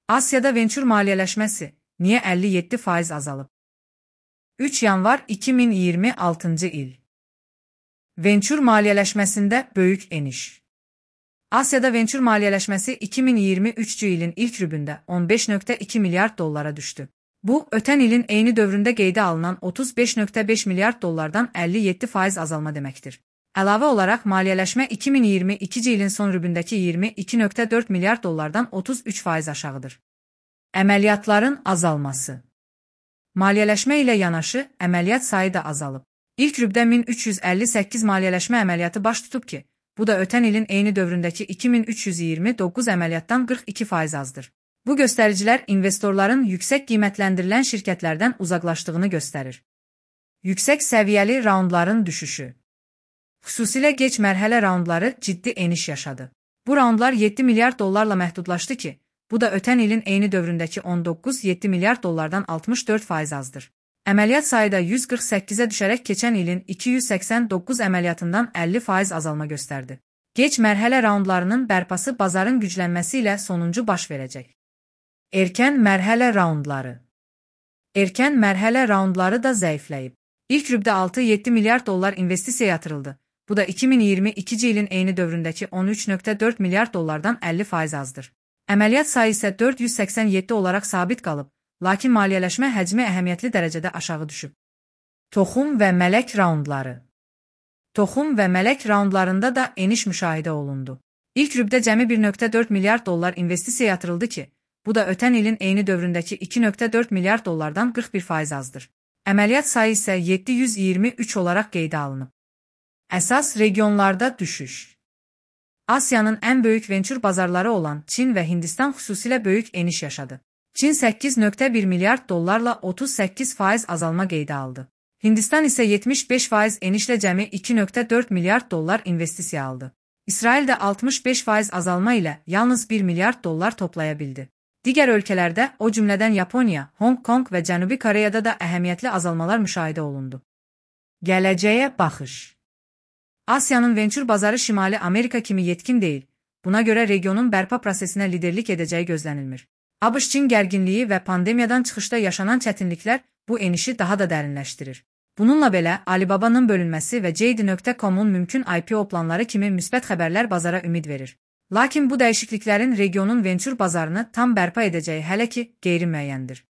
Asiyada venture maliyyələşməsi niyə 57% azalıb? 3 yanvar 2026 il. Venture maliyyələşməsində böyük eniş. Asiyada venture maliyyələşməsi 2023 ilin ilk rübündə 15,2 milyard dollara düşdü. Bu, ötən ilin eyni dövründə qeydə alınan 35,5 milyard dollardan 57% azalma deməkdir. Əlavə olaraq, maliyyələşmə 2022 ilin son rübündəki 22,4 milyard dollardan 33% aşağıdır. Əməliyyatların azalması. Maliyyələşmə ilə yanaşı, əməliyyat sayı da azalıb. İlk rübdə 1358 maliyyələşmə əməliyyatı baş tutub ki, bu da ötən ilin eyni dövründəki 2329 əməliyyatdan 42% azdır. Bu göstəricilər investorların yüksək qiymətləndirilən şirkətlərdən uzaqlaşdığını göstərir. Yüksək səviyyəli raundların düşüşü. Xüsusilə geç mərhələ raundları ciddi eniş yaşadı. Bu raundlar 7 milyard dollarla məhdudlaşdı ki, bu da ötən ilin eyni dövründəki 19,7 milyard dollardan 64% azdır. Əməliyyat sayı da 148-ə düşərək keçən ilin 289 əməliyyatından 50% azalma göstərdi. Geç mərhələ raundlarının bərpası bazarın güclənməsi ilə sonuncu baş verəcək. Erkən mərhələ raundları. Erkən mərhələ raundları da zəifləyib. İlk rübdə 6,7 milyard dollar investisiya yatırıldı. Bu da 2022 ilin eyni dövründəki 13,4 milyard dollardan 50% azdır. Əməliyyat sayı isə 487 olaraq sabit qalıb, lakin maliyyələşmə həcmi əhəmiyyətli dərəcədə aşağı düşüb. Toxum və mələk raundları. Toxum və mələk raundlarında da eniş müşahidə olundu. İlk rübdə cəmi 1,4 milyard dollar investisiya yatırıldı ki, bu da ötən ilin eyni dövründəki 2,4 milyard dollardan 41% azdır. Əməliyyat sayı isə 723 olaraq qeydə alınıb. Əsas regionlarda düşüş. Asiyanın ən böyük venture bazarları olan Çin və Hindistan xüsusilə böyük eniş yaşadı. Çin 8,1 milyard dollarla 38% azalma qeydə aldı. Hindistan isə 75% enişlə cəmi 2,4 milyard dollar investisiya aldı. İsrail də 65% azalma ilə yalnız 1 milyard dollar toplaya bildi. Digər ölkələrdə, o cümlədən Yaponiya, Hong Kong və Cənubi Koreyada da əhəmiyyətli azalmalar müşahidə olundu. Gələcəyə baxış. Asiyanın venture bazarı Şimali Amerika kimi yetkin deyil. Buna görə regionun bərpa prosesinə liderlik edəcəyi gözlənilmir. ABŞ-Çin gərginliyi və pandemiyadan çıxışda yaşanan çətinliklər bu enişi daha da dərinləşdirir. Bununla belə, Alibaba'nın bölünməsi və JD.com'un mümkün IPO planları kimi müsbət xəbərlər bazara ümid verir. Lakin bu dəyişikliklərin regionun venture bazarını tam bərpa edəcəyi hələ ki qeyri-müəyyəndir.